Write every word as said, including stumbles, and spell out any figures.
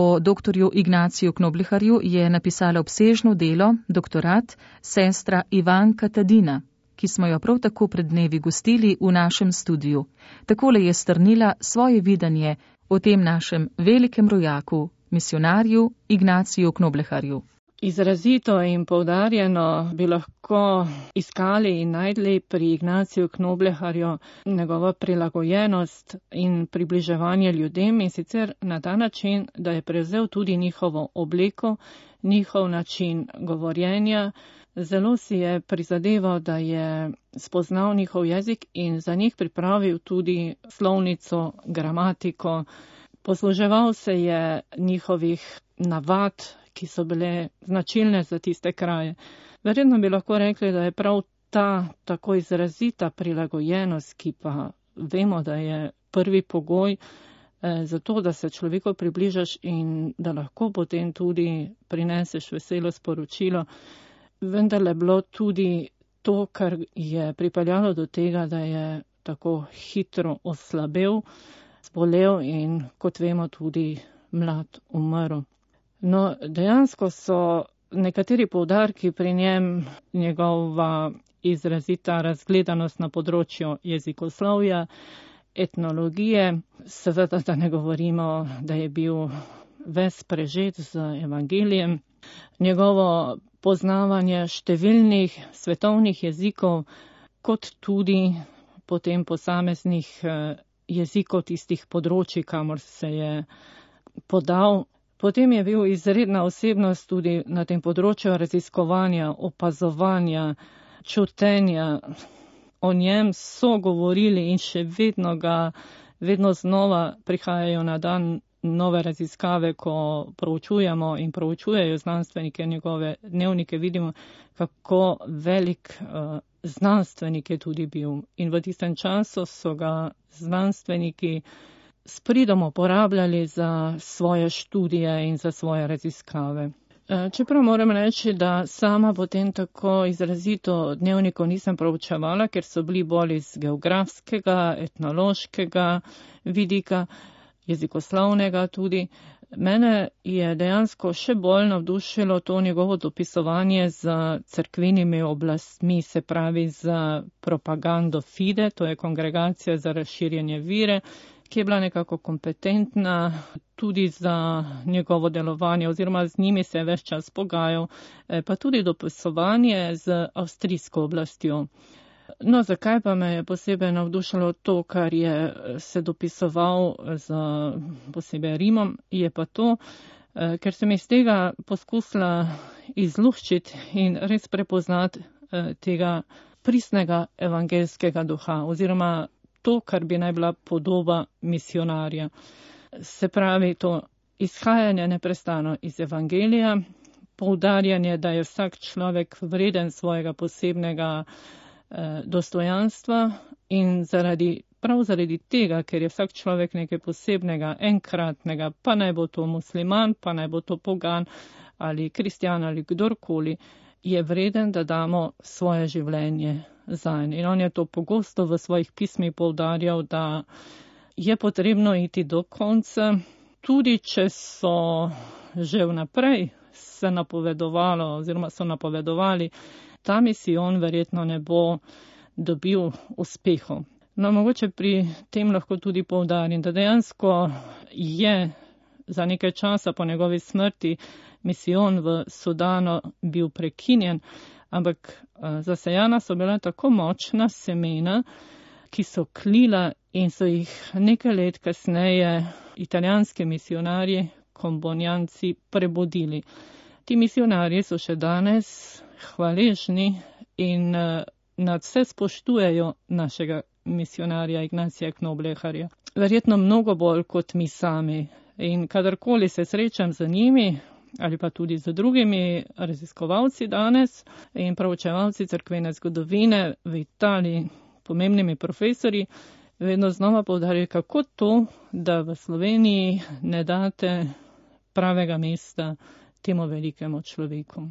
O doktorju Ignaciju Knobleharju je napisala obsežno delo, doktorat, sestra Ivanka Tadina, ki smo jo prav tako pred dnevi gostili v našem studiu. Takole je strnila svoje videnje o tem našem velikem rojaku, misionarju Ignaciju Knobleharju. Izrazito in poudarjeno bi lahko iskali in najdli pri Ignaciju Knobleharju njegovo prilagojenost in približevanje ljudem, in sicer na ta način, da je prevzel tudi njihovo obleko, njihov način govorjenja. Zelo si je prizadeval, da je spoznal njihov jezik in za njih pripravil tudi slovnico, gramatiko. Posluževal se je njihovih navad, ki so bile značilne za tiste kraje. Verjetno bi lahko rekli, da je prav ta tako izrazita prilagojenost, ki pa vemo, da je prvi pogoj eh, za to, da se človeku približaš in da lahko potem tudi prineseš veselo sporočilo, vendarle bilo tudi to, kar je pripeljalo do tega, da je tako hitro oslabel, zbolel in, kot vemo, tudi mlad umrl. No, dejansko so nekateri poudarki pri njem, njegova izrazita razgledanost na področju jezikoslovja, etnologije, seveda da ne govorimo, da je bil ves prežet z evangelijem, njegovo poznavanje številnih svetovnih jezikov, kot tudi potem posameznih jezikov tistih področij, kamor se je podal. Potem je bil izredna osebnost tudi na tem področju raziskovanja, opazovanja, čutenja. O njem so govorili in še vedno ga, vedno znova prihajajo na dan nove raziskave, ko proučujemo in proučujejo znanstvenike njegove dnevnike, vidimo, kako velik uh, znanstvenik je tudi bil. In v tistem času so ga znanstveniki s pridom uporabljali za svoje študije in za svoje raziskave. Čeprav moram reči, da sama potem tako izrazito dnevnikov nisem proučevala, ker so bili bolj iz geografskega, etnološkega vidika, jezikoslovnega tudi. Mene je dejansko še bolj navdušilo to njegovo dopisovanje z cerkvenimi oblastmi, se pravi z propagando Fide, to je kongregacija za razširjanje vire, ki je bila nekako kompetentna tudi za njegovo delovanje, oziroma z njimi se je ves čas pogajal, pa tudi dopisovanje z avstrijsko oblastjo. No, zakaj pa me je posebej navdušilo to, kar je se dopisoval z posebej Rimom, je pa to, ker sem iz tega poskusila izluščiti in res prepoznati tega pristnega evangelskega duha, oziroma to, kar bi naj bila podoba misionarja. Se pravi, to izhajanje neprestano iz evangelija, poudarjanje, da je vsak človek vreden svojega posebnega eh, dostojanstva in zaradi, prav zaradi tega, ker je vsak človek nekaj posebnega, enkratnega, pa naj bo to musliman, pa naj bo to pogan ali kristjan ali kdorkoli, je vreden, da damo svoje življenje zanj. In on je to pogosto v svojih pismih poudarjal, da je potrebno iti do konca, tudi če so že vnaprej se napovedovalo oziroma so napovedovali, ta misijon verjetno ne bo dobil uspehov. No, mogoče pri tem lahko tudi poudarim, da dejansko je za nekaj časa po njegovi smrti misijon v Sudanu bil prekinjen, ampak zasejana so bila tako močna semena, ki so klila in so jih nekaj let kasneje italijanski misionarji, kombonjanci, prebudili. Ti misionarji so še danes hvaležni in nadvse spoštujejo našega misionarja Ignacija Knobleharja. Verjetno mnogo bolj kot mi sami. In kadarkoli se srečam z njimi, ali pa tudi z drugimi raziskovalci danes in proučevalci cerkvene zgodovine v Italiji, pomembnimi profesori, vedno znova poudarjajo, kako to, da v Sloveniji ne date pravega mesta temu velikemu človeku.